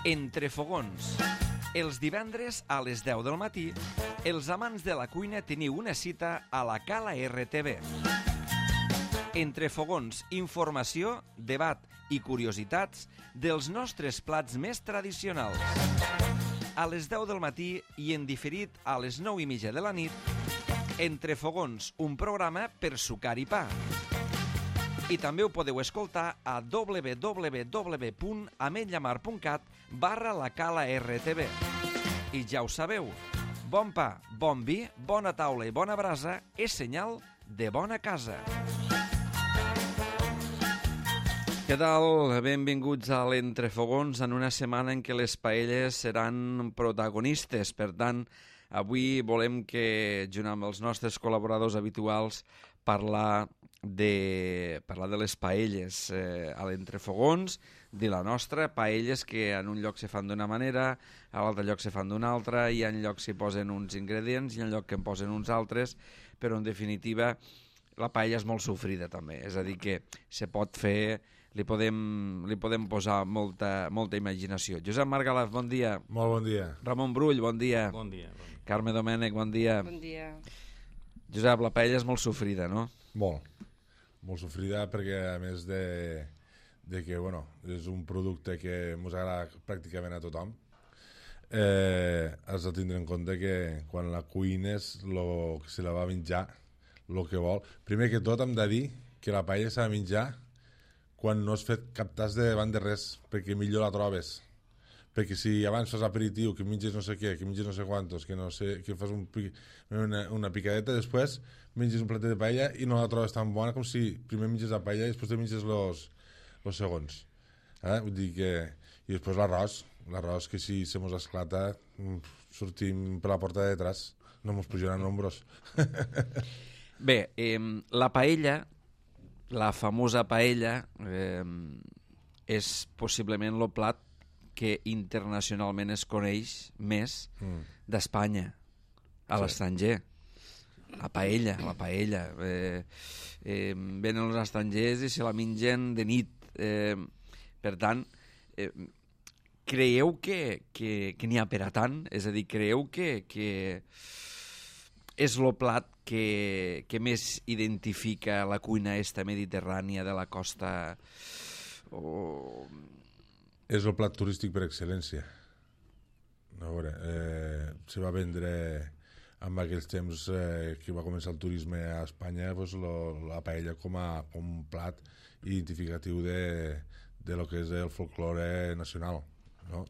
Entre fogons. Els divendres a les 10 del matí, els amants de la cuina teniu una cita a la Cala RTV. Entre fogons, informació, debat i curiositats dels nostres plats més tradicionals. A les 10 del matí i en diferit a les 9:30 de la nit, Entre fogons, un programa per sucar i pa. I també ho podeu escoltar a www.ametlllamar.cat/la Cala RTV. I ja ho sabeu, bon pa, bon vi, bona taula i bona brasa és senyal de bona casa. Què tal? Benvinguts a l'Entrefogons en una setmana en què les paelles seran protagonistes. Per tant, avui volem que, junt amb els nostres col·laboradors habituals, parlar de les paelles a l'Entrefogons, de la nostra, paelles que en un lloc se fan d'una manera, a l'altre lloc se fan d'una altra, i en lloc s'hi posen uns ingredients i en lloc que en posen uns altres, però en definitiva la paella és molt sofrida també, és a dir que se pot fer, li podem posar molta imaginació. Josep Margalaf, bon dia. Molt bon dia. Ramon Brull, bon dia. Bon dia. Carme Domènech, bon dia. Bon dia. Josep, la paella és molt sofrida, no? Molt sofrida perquè a més de que bueno, és un producte que ens agrada pràcticament a tothom, has de tindre en compte que quan la cuines que se la va menjar el que vol. Primer que tot hem de dir que la paella s'ha de menjar quan no has fet cap tas de davant de res, perquè millor la trobes. Perquè si abans fas aperitiu, que menges no sé què, que menges no sé quantos, que no sé, que fas una picadeta, després menges un platet de paella i no la trobes tan bona com si primer menges la paella i després te menges los segons. Vull dir que... I després l'arròs que si se mos esclata sortim per la porta de detrás, no mos pujaran nombros. Bé, la paella, la famosa paella, és possiblement el plat que internacionalment es coneix més d'Espanya a l'estranger. La paella. Venen els estrangers i se la mengen de nit. Per tant, creieu que n'hi ha per a tant? És a dir, creieu que és el plat que més identifica la cuina esta mediterrània de la costa? És el plat turístic per excel·lència. A veure, se va vendre en aquells temps que va començar el turisme a Espanya, pues, la paella com un plat identificatiu de lo que és el folklore nacional, no?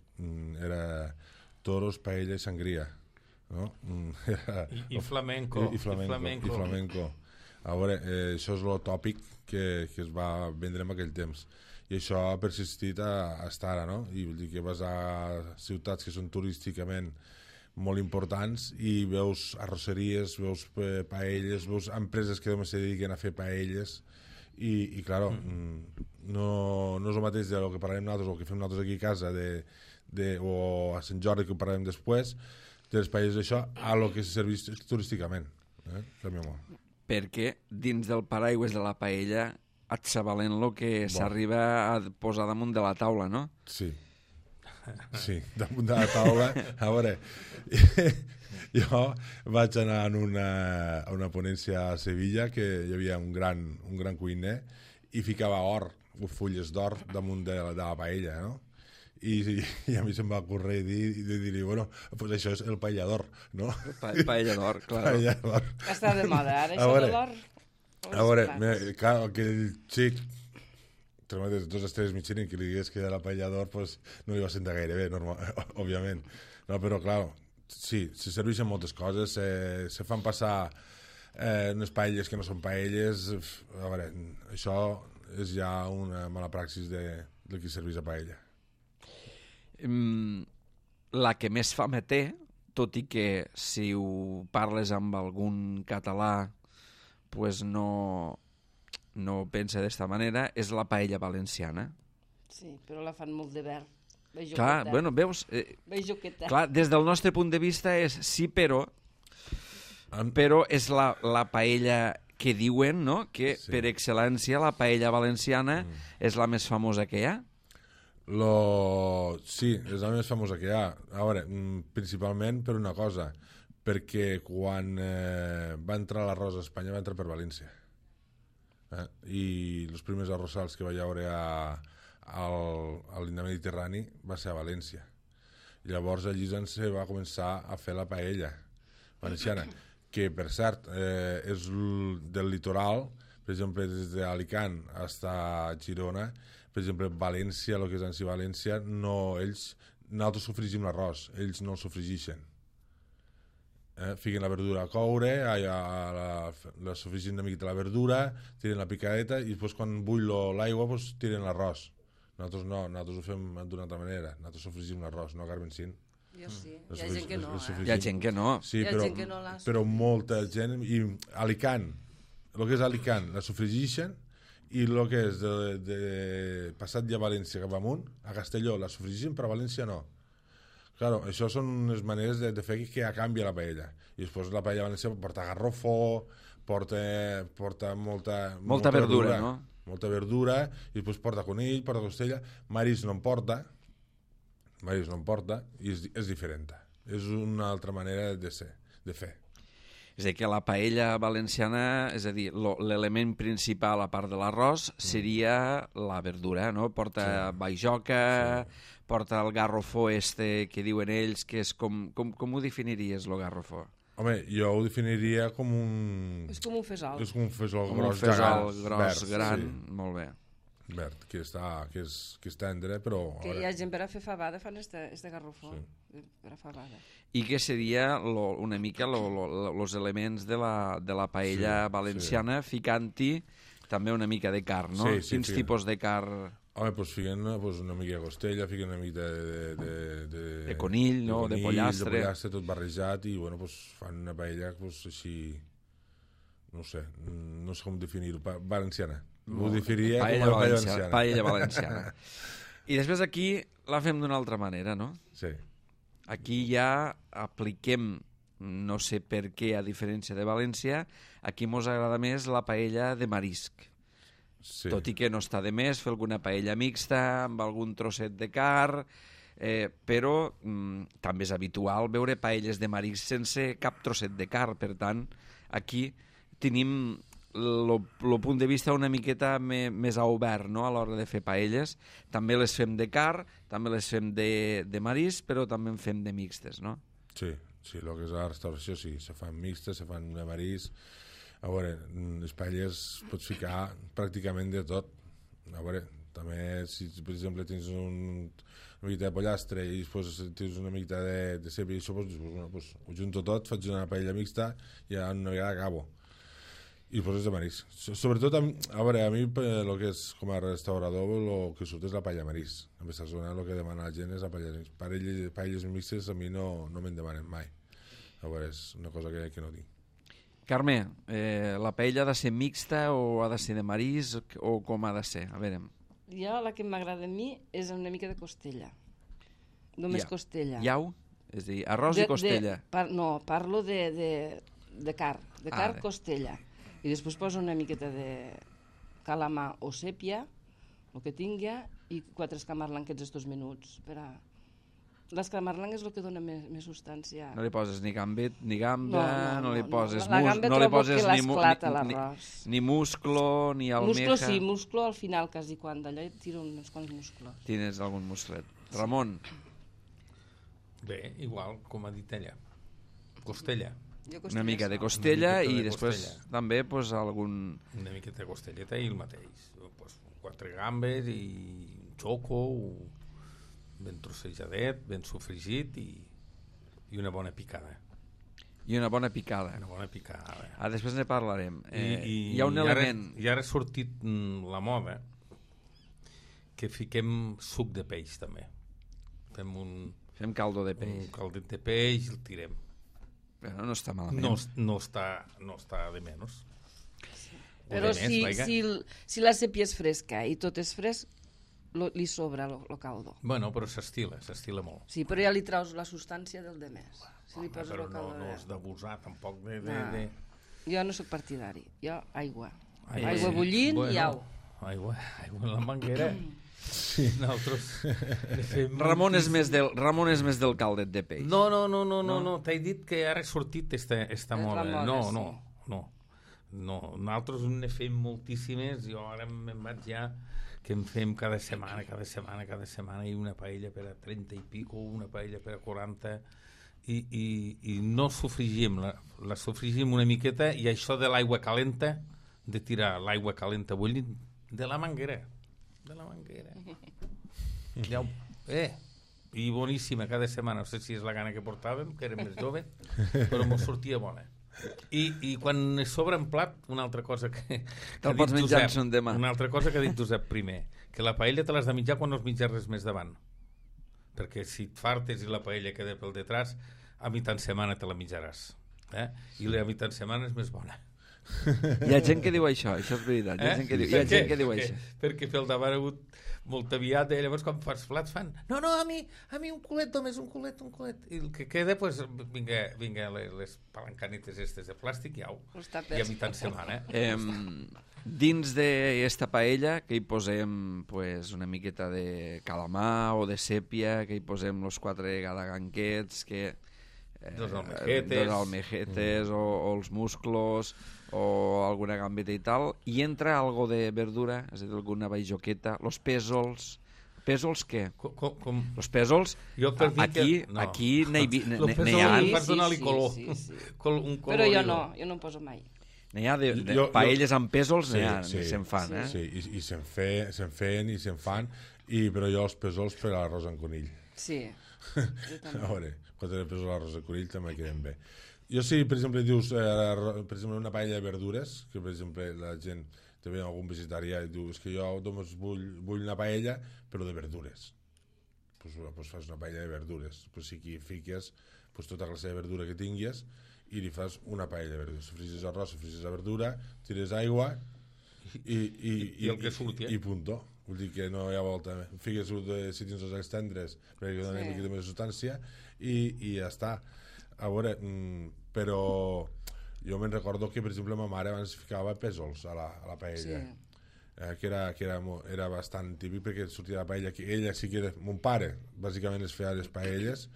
Era toros, paella i sangria, no? I flamenco. I flamenco. A veure, això és el tòpic que es va vendre en aquell temps. I això ha persistit hasta ara, no? I vull dir que vas a ciutats que són turísticament molt importants i veus arrosseries, veus paelles, veus empreses que només se dediquen a fer paelles i claro, no és el mateix del que parlem nosaltres o que fem nosaltres aquí a casa o a Sant Jordi, que ho parlarem després, de les paelles d'això, a lo que se serveix turísticament. Perquè dins del paraigües de la paella et s'avalent el que s'arriba a posar damunt de la taula, no? Sí, damunt de la taula. A veure, jo vaig anar a una ponència a Sevilla, que hi havia un gran cuiner, i ficava fulles d'or damunt de la paella, no? I a mi se'm va ocórrer dir-li, bueno, pues això és el paellador, no? Paellador, clar. Està de moda, ara, això de l'or. A veure, clar, aquell xic, 2 estrelles Michelin, que li digués que era la paellador, pues no li va sentar gaire bé, òbviament. No, però, clar, sí, se serveixen moltes coses, se fan passar unes paelles que no són paelles. A veure, això és ja una mala praxis de qui serveix a paella. La que més fama té, tot i que si ho parles amb algun català pues no pensa d'esta manera, és la paella valenciana. Sí, però la fan molt de verd. Clar, bueno, veus? Clar, des del nostre punt de vista és sí, però és la paella que diuen, no?, que per excel·lència la paella valenciana és la més famosa que hi ha. Sí, és la més famosa que hi ha. A veure, principalment per una cosa, perquè quan va entrar l'arròs a Espanya va entrar per València. I els primers arrossals que va haver a l'Inde Mediterrani va ser a València. I llavors allí se va començar a fer la paella valenciana, que per cert és del litoral, per exemple des d'Alicant fins a Girona, per exemple València, el que és en si València, nosaltres sofregim l'arròs, ells no el sofregeixen. Fiquen la verdura a coure, la sofregim una miqueta la verdura, tiren la picadeta i després quan bull l'aigua tiren l'arròs. Nosaltres no, nosaltres ho fem d'una altra manera, nosaltres sofregim l'arròs, no, Carmen Cint? Jo sí, hi ha gent que no. Hi ha gent que no. Sí, però molta gent, i Alicant, el que és Alicant la sofregeixen, i el que és de passat ja a València cap amunt, a Castelló la sofregeixen, però a València no. Claro, això són unes maneres de fer que ja canvia la paella. I després la paella valenciana porta garrofó, porta molta verdura, no? Molta verdura, i després porta conill, porta costella, marisc no en porta, i és diferent. És una altra manera de fer. És a dir, que la paella valenciana, és a dir, l'element principal a part de l'arròs seria la verdura, no? Porta bajoca, porta el garrofó que diuen ells, que és com ho definiries, el garrofó? Home, jo ho definiria com un... És com un fesol. És com un fesol gros, gros, gran, molt bé. Verd, que és tendre, però... Que hi ha gent per a fer fabada, fan este garrofó, per a fabada. I què seria una mica els elements de la paella valenciana, ficant-hi també una mica de carn, no? Quins tipus de carn? Home, doncs fiquen una mica de costella, fiquen una mica de conill, no? De pollastre. De pollastre, tot barrejat, i bueno, fan una paella així, no sé com definir-ho, valenciana. Ho definiria com a paella valenciana. Paella valenciana. I després aquí la fem d'una altra manera, no? Sí. Aquí ja apliquem, no sé per què, a diferència de València, aquí mos agrada més la paella de marisc. Sí. Tot i que no està de més fer alguna paella mixta amb algun trosset de carn, però també és habitual veure paelles de marisc sense cap trosset de carn. Per tant, aquí tenim el punt de vista una miqueta més obert, no? A l'hora de fer paelles. També les fem de carn, també les fem de marisc, però també en fem de mixtes, no? Sí, el que és la restauració sí, se fan mixtes, se fan de marisc. A veure, les paelles pots ficar pràcticament de tot. A veure, també si per exemple tens una miqueta de pollastre i després tens una miqueta de ceba i això, doncs ho junto tot, faig una paella mixta i ja una vegada acabo. I després és de marisc. Sobretot, a veure, a mi el que és com a restaurador el que surt és la paella marisc. En aquesta zona el que demana la gent és la paella marisc. Paelles mixtes a mi no me'n demanen mai. A veure, és una cosa que no tinc. Carme, la paella ha de ser mixta o ha de ser de marisc o com ha de ser? A veure. Jo la que m'agrada a mi és una mica de costella. Només costella. Iau? És a dir, arròs i costella. No, parlo de carn. De carn, costella. I després poso una miqueta de calamar o sèpia, el que tingui, i 4 escamarlanquets estos minuts. L'escamarlang és el que dona més substància. No li poses ni gambet, ni gamba, no li poses la gamba trobo que l'esclata l'arròs. Ni musclo, ni almeja. Musclo sí, musclo al final quasi quan d'allò tiro uns quants musclos. Tines algun musclet. Ramon? Bé, igual, com ha dit ella. Costella. Una mica de costella i després també algun... Una mica de costelleta i el mateix. 4 gambes i un xoco, ben trossejadet, ben sofregit i una bona picada. I una bona picada. Una bona picada. Després ne parlarem. Hi ha un element... I ara ha sortit la moda que fiquem suc de peix també. Fem caldo de peix. Un caldet de peix i el tirem. Però no està malament. No està de menys. Però si la sèpia és fresca i tot és fresc, li sobra el caldo. Bueno, però s'estila molt. Sí, però ja li traus la substància del demés. Però no has d'abusar tampoc de... Jo no sóc partidari. Jo, aigua bullint i au. aigua en la manguera. Sí. Nosaltres Ramon és més del caldet de peix. No. T'he dit que ara ha sortit esta moda. No. Nosaltres ne fem moltíssimes. Jo ara me'n vaig ja que en fem cada setmana i una paella per a 30 i pico, una paella per a 40 i no sofrigim, la sofrigim una miqueta, i això de l'aigua calenta, de tirar l'aigua calenta bullint de la manguera. Ja, i boníssima cada setmana. No sé si és la gana que portàvem, que érem més joves, però mos sortia bona. I quan sobra en plat, una altra cosa que te'l pots menjar en son demà. Una altra cosa que ha dit Josep primer, que la paella te l'has de menjar quan no es menja res més davant, perquè si et fartes i la paella queda pel detrás, a mitjan setmana te la menjaràs, i la mitjan setmana és més bona. Hi ha gent que diu això és veritat. Hi ha gent que diu això. Perquè pel davant ha hagut molt aviat, i llavors quan fas plats fan no, a mi un culet només, un culet, i el que queda, pues, vinga les palancanetes estes de plàstic i a mitjan setmana. Dins d'esta paella que hi posem pues, una miqueta de calamar o de sèpia, que hi posem los 4 gadaganquets, que dos almejetes o els musclos o alguna gambeta i tal, i entra algo de verdura, és a dir, alguna baixoqueta, los pèsols. Pèsols què? Los pèsols, aquí n'hi ha. Per donar-li color. Però jo no en poso mai. N'hi ha de paelles amb pèsols, se'n fan, Sí, i se'n feien i se'n fan, però jo els pèsols per a l'arròs amb conill. Sí. A veure, quan tenen pèsols a l'arròs amb conill també queden bé. Jo sí, per exemple, dius, per exemple, una paella de verdures, que per exemple la gent, te ve algun vegetarià i diu, és que jo només vull una paella, però de verdures. Pues fas una paella de verdures. Pues sí que hi fiques tota classe de verdura que tinguis i li fas una paella de verdures. Sofrigis arròs, sofrigis la verdura, tires aigua i el que surti. I punto. Vull dir que no hi ha volta. Fiques si tens els eggs tendres perquè donen una miqueta més de substància i ja està. A veure, però jo me'n recordo que, per exemple, ma mare abans ficava pèsols a la paella, que era bastant típic perquè sortia la paella, que ella sí que era, mon pare bàsicament es feia les paelles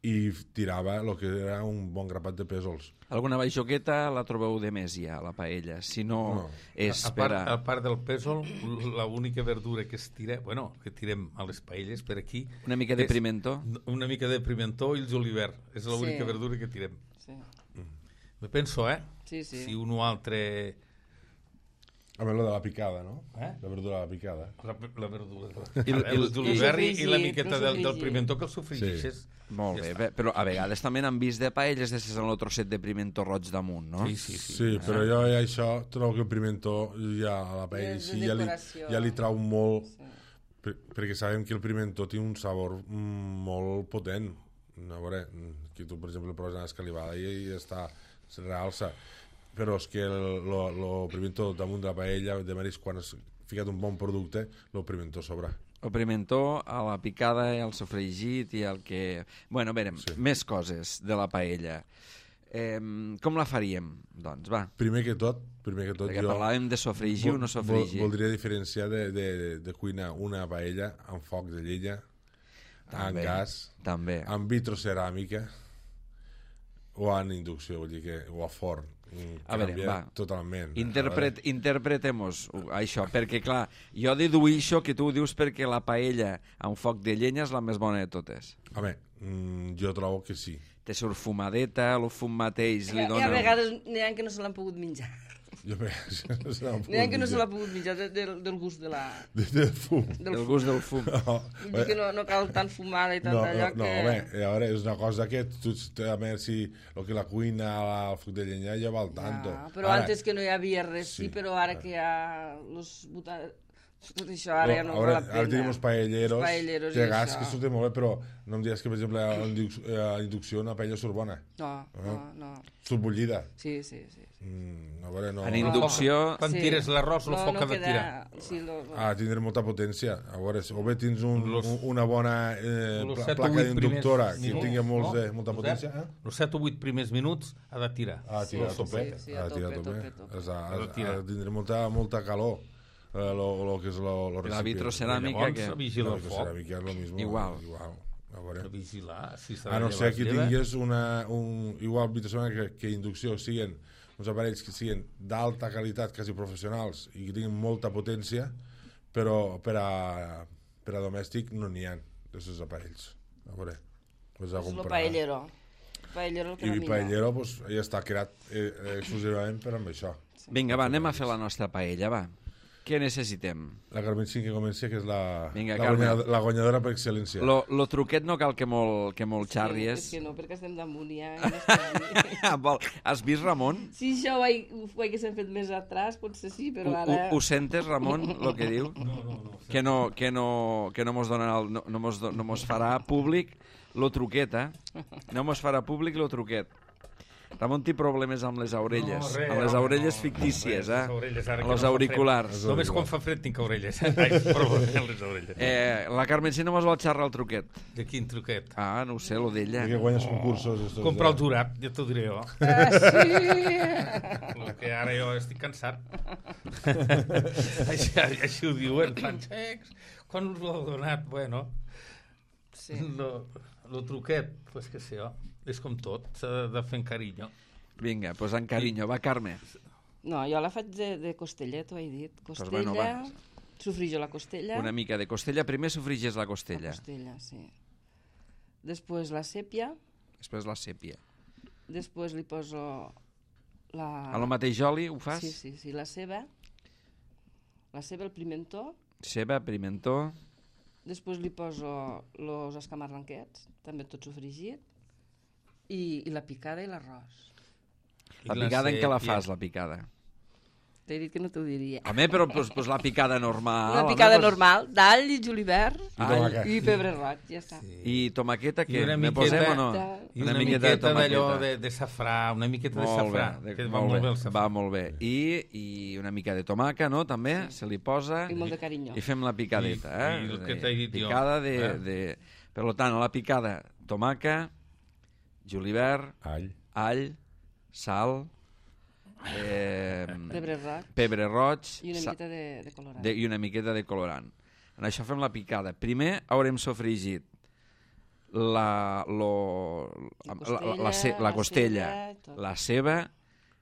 i tirava el que era un bon grapat de pèsols. Alguna baixoqueta la trobeu de més ja, la paella, si no és per a... A part del pèsol, l'única verdura que es tira, que tirem a les paelles per aquí... Una mica de pimentó? Una mica de pimentó i el julivert, és l'única verdura que tirem. Me penso, Sí. Si un o altre... A veure, la de la picada, no? La verdura de la picada. La verdura. El julivert i la miqueta del pimentó que el sofrigeixes. Molt bé, però a vegades també n'han vist de paelles de ser el trosset de pimentó roig damunt, no? Sí, però jo això trobo que el pimentó ja a la paella ja li trau molt, perquè sabem que el pimentó té un sabor molt potent. A veure, que tu, per exemple, poses una escalivada i està, es realça. Però és que el pimentó damunt de la paella, de marisc, quan has ficat un bon producte, el pimentó sobra. El pimentó, a la picada, el sofregit i el que... Bueno, a veure, més coses de la paella. Com la faríem, doncs, va? Primer que tot perquè parlàvem de sofregir o no sofregir. Voldria diferenciar de cuinar una paella amb foc de llenya, amb gas, amb vitroceràmica o en inducció, vull dir que, o a forn. A veure, va, totalment. Interpretem-nos això, perquè clar, jo deduïxo que tu dius perquè la paella amb foc de llenya és la més bona de totes. Home, jo trobo que sí. Té surt fumadeta, el fum mateix li dona... I a vegades n'hi ha que no se l'han pogut menjar. N'hi ha que no se l'ha pogut menjar del gust de la... Del fum. Del gust del fum. Vull dir que no cal tant fumada i tant allò que... No, home, a veure, és una cosa que tu, a veure si el que la cuina al foc de llenya ja val tanto. Però antes que no hi havia res, sí, però ara que hi ha tot això ara ja no val la pena. Ara tenim els paelleros de gas que surten molt bé, però no em digues que, per exemple, a la inducció una paella surt bona. No. Surt bullida. Sí. A veure, no... En inducció... Quan tires l'arròs, el foc ha de tirar. Tindré molta potència. A veure, o bé tens una bona placa d'inductora que tingui molta potència. Els 7 o 8 primers minuts ha de tirar. Ha de tirar a tope. Ha de tindre molta calor. Lo que és lo recipient. La vitroceràmica que... Vigila el foc. La vitroceràmica és lo mismo. Igual. A vigilar. A no ser que tingués igual vitroceràmica que inducció, siguin uns aparells que siguin d'alta qualitat, quasi professionals, i que tinguin molta potència, però per a domèstic no n'hi ha d'aquests aparells. A veure, és el paellero. I paellero ja està creat exclusivament per amb això. Vinga, va, anem a fer la nostra paella, va. Què necessitem? La Carmen que comença, que és la guanyadora per excel·lència. Lo truquet no cal que molt xarries. És que no, perquè estem damunt ja. Has vist, Ramon? Si això ho haguéssim fet més atrás, potser sí, però ara... Ho sentes, Ramon, el que diu? No. Que no mos farà públic lo truquet, No mos farà públic lo truquet. Ramon té problemes amb les orelles, amb les orelles fictícies, amb els auriculars. Només quan fa fred tinc orelles. Problemes amb les orelles. La Carmencina mos vol xerrar el truquet. De quin truquet? No ho sé, lo d'ella. Que guanyes concursos. Comprar el jurat, ja t'ho diré jo. Sí! Que ara jo estic cansat. Així ho diuen, fan xecs. Quan us ho heu donat? Bueno, lo truquet, pues que sé jo. És com tot, s'ha de fer en carinyo. Vinga, doncs en carinyo. Va, Carme. No, jo la faig de costella, t'ho he dit. Costella, sofrijo la costella. Una mica de costella. Primer sofrigis la costella. La costella, sí. Després la sèpia. Després la sèpia. Després li poso la... A lo mateix oli ho fas? Sí, la ceba. La ceba, el pimentó. Ceba, pimentó. Després li poso els escamarranquets, també tot sofregit. I la picada i l'arròs. La picada en què la fas, la picada? T'he dit que no t'ho diria. Home, però pues la picada normal. La picada normal, d'all i julivert i pebre roig, ja està. I tomaqueta, què? Me posem o no? I una miqueta d'allò de safrà, una miqueta de safrà. Va molt bé. I una mica de tomaca, no? També se li posa. I molt de carinyo. I fem la picadeta. I el que t'he dit jo. Picada de... Per tant, la picada, tomaca, julivert, all, sal, pebre roig i una miqueta de colorant. I una miqueta de colorant. En això fem la picada. Primer haurem sofregit la costella, la ceba,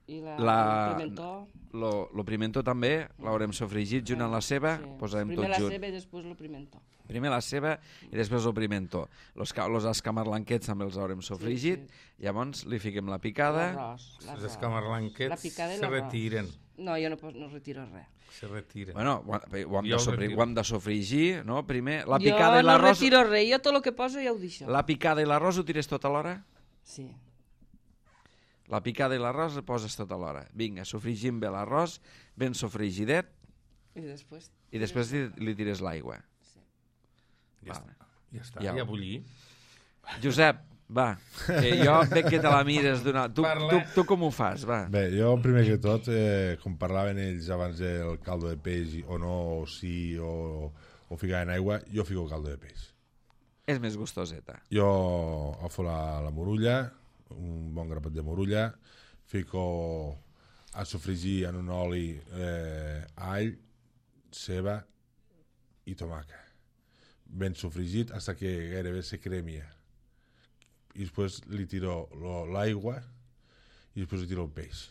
i el pimentó. El pimentó també l'haurem sofregit junt amb la ceba. Posarem tot junt. Primer la ceba i després el pimentó. Primer la ceba i després el pimentó. Els escamarlanquets també els haurem sofregit. Llavors li fiquem la picada. Els escamarlanquets se retiren. No, jo no retiro res. Se retiren. Bueno, ho hem de sofregir, no? Primer, la picada i l'arròs... Jo no retiro res, jo tot el que poso ja ho deixo. La picada i l'arròs ho tires tot alhora? Sí. La picada i l'arròs ho poses tot alhora. Vinga, sofregim bé l'arròs, ben sofregidet, i després li tires l'aigua. Ja està, ja bullir. Josep, va, jo veig que te la mires d'una... Tu com ho fas, va? Bé, jo primer que tot, com parlaven ells abans del caldo de peix, o no, o sí, o ficar en aigua, jo fico caldo de peix. És més gustoseta. Jo agafo la morulla, un bon grapat de morulla, fico a sofregir en un oli all, ceba i tomaca. Ben sofregit fins que gairebé se cremia. I després li tiro l'aigua i després li tiro el peix.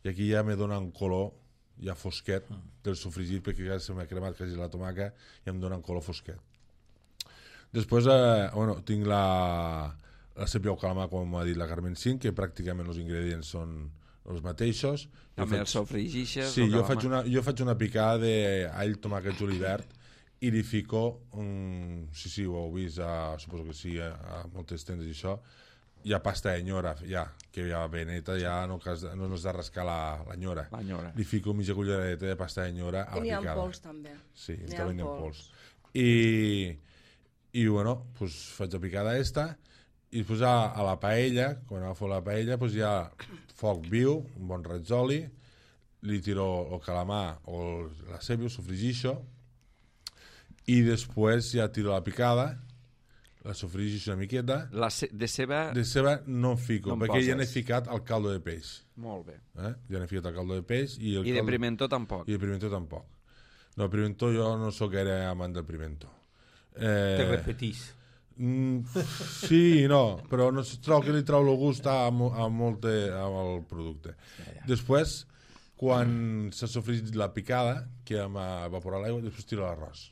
I aquí ja me dona un color ja fosquet del sofregit, perquè ja se m'ha cremat quasi la tomaca i em dona un color fosquet. Després tinc la sèpia o calamar, com ha dit la Carmen Cint, que pràcticament els ingredients són els mateixos. També el sofregixes? Sí, jo faig una picada d'all, tomàquet, julivert, i li fico, sí, ho heu vist, suposo que sí, a moltes tendes i això, hi ha pasta de nyora, que ja ve neta, ja no has de rascar la nyora. Li fico mitja cullereta de pasta de nyora a la picada. N'hi ha pols, també. Sí, també n'hi ha pols. I bueno, pues faig la picada esta, I després a la paella, quan agafo la paella, doncs hi ha foc viu, un bon raig d'oli, li tiro el calamar o la ceba, ho sofregixo, i després ja tiro la picada, la sofregixo una miqueta. De ceba... De ceba no en fico, no perquè ja n'he ficat al caldo de peix. Molt bé. Ja n'he ficat al caldo de peix. I de pimentó tampoc? I de pimentó tampoc. No, el pimentó jo no sóc gaire amant del pimentó. Te repetís. Sí i no, però no trobo que li trau el gust al producte. Després, quan s'ha sofregit la picada, que hem evaporat l'aigua, després tiro l'arròs.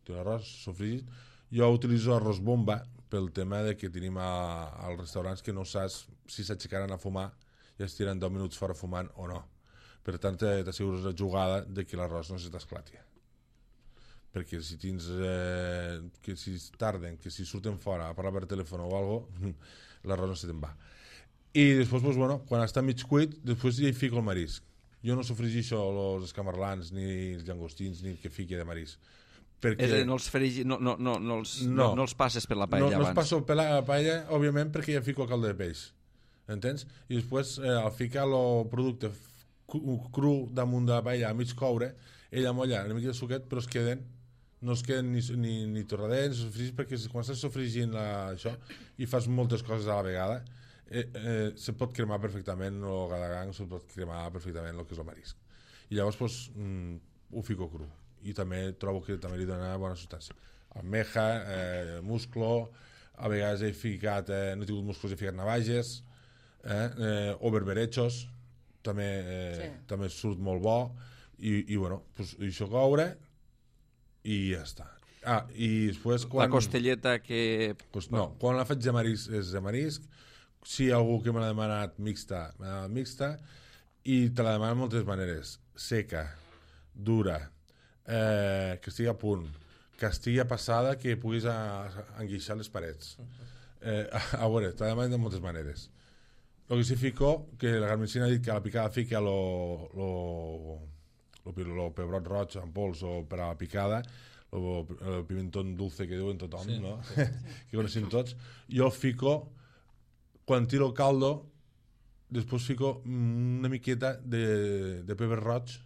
Tiro l'arròs sofregit. Jo utilitzo arròs bomba pel tema de que tenim als restaurants que no saps si s'aixecaran a fumar i es tiren 10 minuts fora fumant o no. Per tant, t'assegures la jugada de que l'arròs no se t'esclati. Perquè si tens que si tarden, que si surten fora a parlar per telèfon o alguna cosa, l'arròs no se te'n va. I després, doncs, bueno, quan està mig cuit, després ja hi fico el marisc. Jo no sofregixo els escamarlans, ni els llangostins, ni el que fiqui de marisc. Perquè... no els passes per la paella abans. No els passo per la paella, òbviament, perquè ja fico el caldo de peix. Entens? I després, al ficar el producte cru damunt de la paella a mig coure, ella molla una mica de suquet, però no es queden ni torradents, perquè quan estàs sofregint això i fas moltes coses a la vegada, se pot cremar perfectament el gadagang, se pot cremar perfectament el que és el marisc. I llavors doncs, ho fico cru. I també trobo que també li dona bona substància. Almeja, musclo, a vegades he ficat, no he tingut musclos, he ficat navages, o berberechos, també surt molt bo, i bueno, pues, això coure, i ja està. I després quan... La costelleta que... Pues no, quan la faig de marisc és de marisc, si hi ha algú que me l'ha demanat mixta, i te la demanen moltes maneres, seca, dura, que estigui a punt, que estigui passada, que puguis enguixar les parets. A veure, te la demanen de moltes maneres. El que sí fico, que la Carmencina ha dit que a la picada fica el pebrot roig en pols o per a la picada, el pimentón dulce que diuen tothom, sí, no? Sí. Que coneixem tots. Jo fico, quan tiro el caldo, després fico una miqueta de pebre roig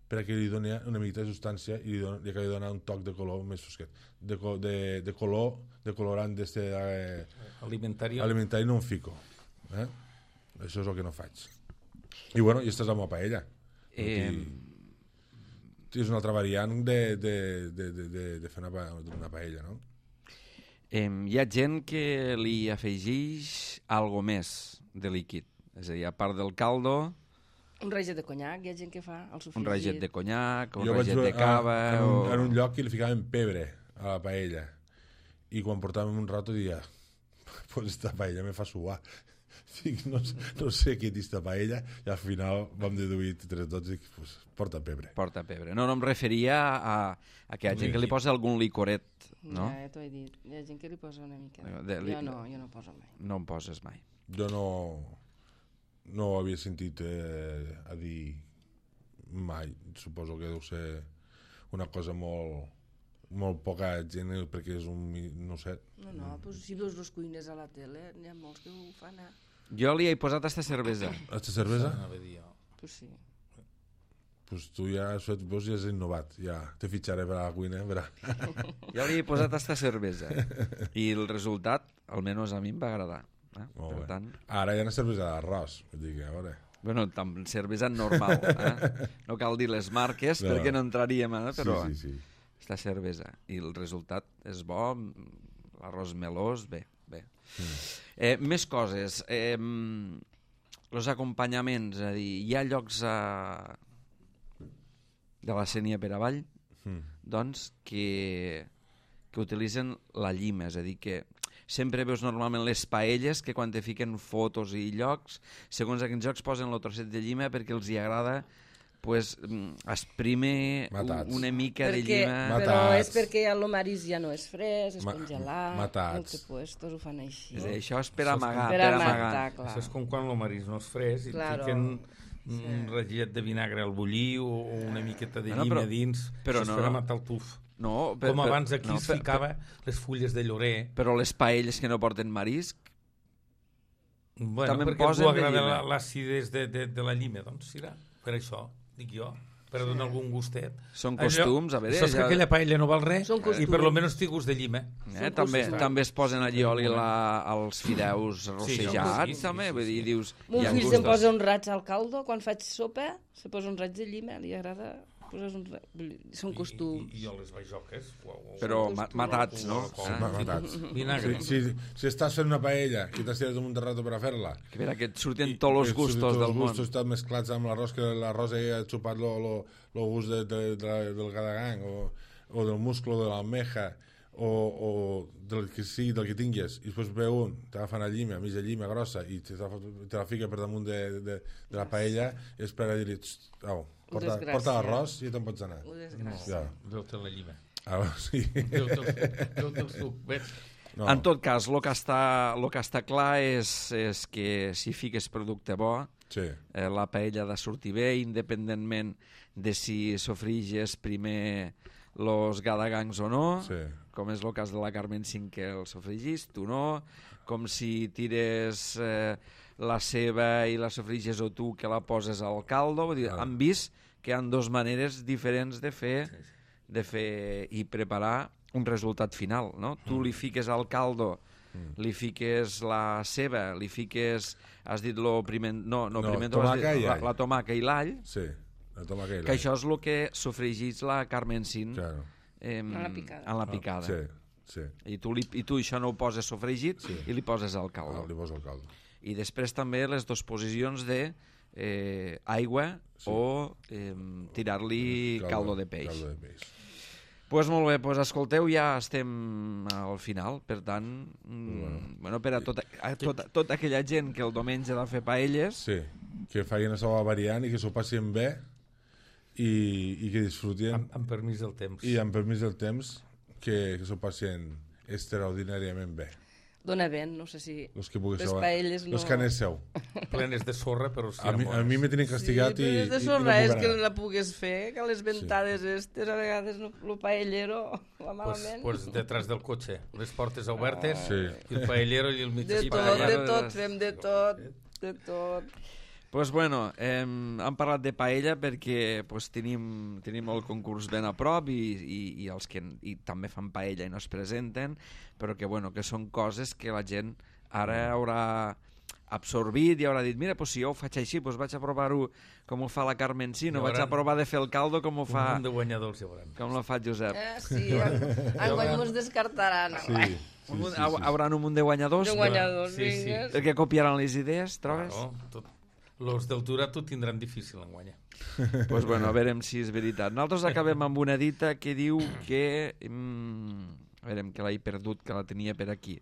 perquè li doni una miqueta de substància i li acabi de donar un toc de color més fosquet. De color, de colorant alimentari no en fico. Això és el que no faig. I bueno, i esta és la meva paella. És una altra variant de fer una paella, no? Hi ha gent que li afegeix algo més de líquid. És a dir, a part del caldo... Un raget de conyac, hi ha gent que fa el sofregit. Un raget de conyac, un raget de cava... En un lloc que li ficaven pebre a la paella. I quan portàvem un rato dia, pues esta paella me fa suar. No sé què és esta paella, i al final vam deduir entre tots i pues, porta pebre. Porta pebre. No em referia a que hi ha gent que li posa algun licoret, no? Ja t'ho he dit, hi ha gent que li posa una mica. Jo no poso mai. No en poses mai. Jo no ho havia sentit a dir mai. Suposo que deu ser una cosa molt poca gent, perquè és un... no sé. No, doncs si veus els cuiners a la tele, n'hi ha molts que ho fan. Jo li he posat esta cervesa. Esta cervesa? Pues sí. Pues tu ja has innovat, ja te fitxaré per a la cuina. Jo li he posat esta cervesa i el resultat, almenys a mi em va agradar. Per tant... Ara hi ha una cervesa d'arròs, a veure... Bueno, cervesa normal, no cal dir les marques perquè no entraríem, però sí. Esta cervesa, i el resultat és bo, l'arròs melós, bé. Més coses, els acompanyaments, és a dir, hi ha llocs de la Sénia per avall, doncs, que utilitzen la llima, és a dir, que sempre veus normalment les paelles que quan te fiquen fotos i llocs, segons aquells llocs posen el trosset de llima perquè els hi agrada pues, exprime una mica de llima. Però és perquè el marisc ja no és fresc, és congelat. Matats. Puestos ho fan així. Això és per amagar. Això és com quan el marisc no és fresc i fiquen un ratllet de vinagre al bullir o una miqueta de llima dins. Això és per a matar el tuf. No, com abans aquí es ficava les fulles de llorer. Però les paelles que no porten marisc, Bueno, també perquè a posen tu de agrada llima. l'acidesa de la llima, doncs serà. Per això, dic jo, per donar algun gustet. Són costums, a veure... Saps que aquella paella no val res Són costums. i per lo menys té gust de llima. També es posen allí oli als fideus rossejats, sí, també, sí, vull dir, sí. dius... Mon hi ha fill se'n gustos. posa un raig al caldo, quan faig sopa, se posa un raig de llima, li agrada posar un raig... Són costums. I jo les bajoques... Però matats, no? Matats. Vinagre. Si estàs fent una paella i t'has tirat un de rato per a fer-la, Que mira, que et surten tots els gustos del món. Els gustos estan mesclats amb l'arròs, que l'arròs ha xupat el gust del gadagang o del musclo de l'almeja o del que sigui, del que tingues, i després ve un, t'agafa una llima, mitja llima grossa, i te la fica per damunt de la paella i espera a dir-li, au, porta l'arròs i te'n pots anar. Desgràcia. Veu-te la llima. Sí. Veu-te el suc, ves? No. En tot cas, el que està clar és que si fiques producte bo, Sí. la paella ha de sortir bé, independentment de si sofriges primer los gadagangs o no, Sí. com és el cas de la Carmen Cinc, que el sofregis, tu no, com si tires la ceba i la sofriges o tu que la poses al caldo. Vull dir, han vist que hi ha dues maneres diferents de fer i preparar un resultat final, no? Tu li fiques al caldo, li fiques la ceba, li fiques, has dit lo piment, la tomaca i l'all, Sí, la tomaca i l'all. que això és el que sofregís la Carmen Sin Claro. en la picada. Sí. I tu això no ho poses sofregit i li poses al caldo. Li poso el caldo. I després també les dues posicions de aigua o tirar-li caldo de peix. Caldo de peix. Pues molt bé, pues escolteu, ja estem al final, per tant, bueno, per a tota aquella gent que el diumenge ha de fer paelles, Sí, que facin la seva variant i que s'ho passin bé i que disfrutin Amb permís del temps. i amb permís del temps que s'ho passin extraordinàriament bé. Dona vent, no sé si... Los que puguis Les saber. paelles no... Los que anéssiu. Plenes de sorra, però sí A mi me tenen castigat sí, però és de sorra, no és puc que anar. la pugues fer, que les ventades estes, a vegades el paellero va malament. Pues detrás del cotxe, les portes obertes, Sí. i el paellero i el mig De tot, fem de tot. pues bueno, hem parlat de paella perquè pues, tenim el concurs ben a prop i els que també fan paella i no es presenten, però que, bueno, que són coses que la gent ara haurà absorbit i haurà dit, mira, pues, si jo ho faig així, pues, vaig a provar-ho com ho fa la Carmen Sino, vaig a provar de fer el caldo com ho fa... Un munt de guanyadors hi haurà. Com la fa Josep. Sí, enguany mos descartaran. Sí. Hauran un munt de guanyadors De guanyadors, Sí, sí. vinga. perquè copiaran les idees, trobes? Los del Turat ho tindran difícil en guanyar. Pues bueno, a veurem si és veritat. Nosaltres acabem amb una dita que diu que... a veurem, que l'he perdut, que la tenia per aquí.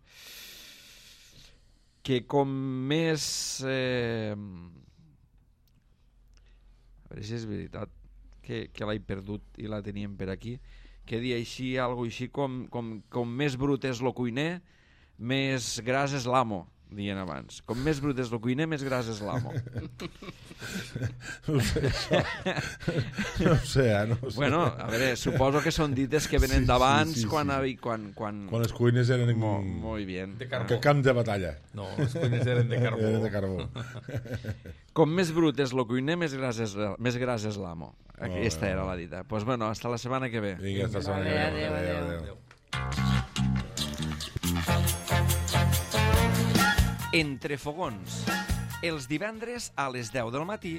Que com més... a veure si és veritat, que l'he perdut i la teníem per aquí, que dia així, alguna així, com més brut és lo cuiner, més gras és l'amo, dient abans. Com més brut és el cuiner, més gras és l'amo. No ho sé, això. No ho sé, no ho sé. Bueno, a veure, suposo que són dites que venen Sí, d'abans, sí. quan Quan les cuines eren Molt bien. De que carbó. camp de batalla. No, les cuines eren de carbó. Eren de carbó. Com més brut és el cuiner, més gras és l'amo. Aquesta era la dita. Pues bueno, hasta la setmana que ve. Vinga, hasta la setmana que ve. Adéu. Entre fogons. Els divendres a les 10 del matí,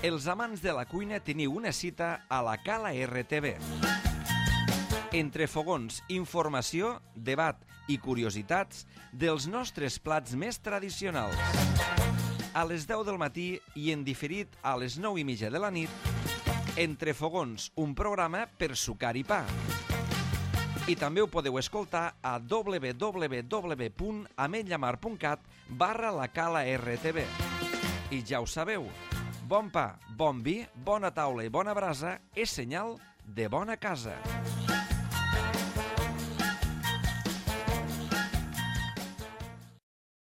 els amants de la cuina teniu una cita a la Cala RTV. Entre fogons, informació, debat i curiositats dels nostres plats més tradicionals. A les 10 del matí i en diferit a les 9:30 de la nit, Entre fogons, un programa per sucar i pa. I també ho podeu escoltar a www.ametlllamar.cat/la Cala RTV. I ja ho sabeu, bon pa, bon vi, bona taula i bona brasa és senyal de bona casa.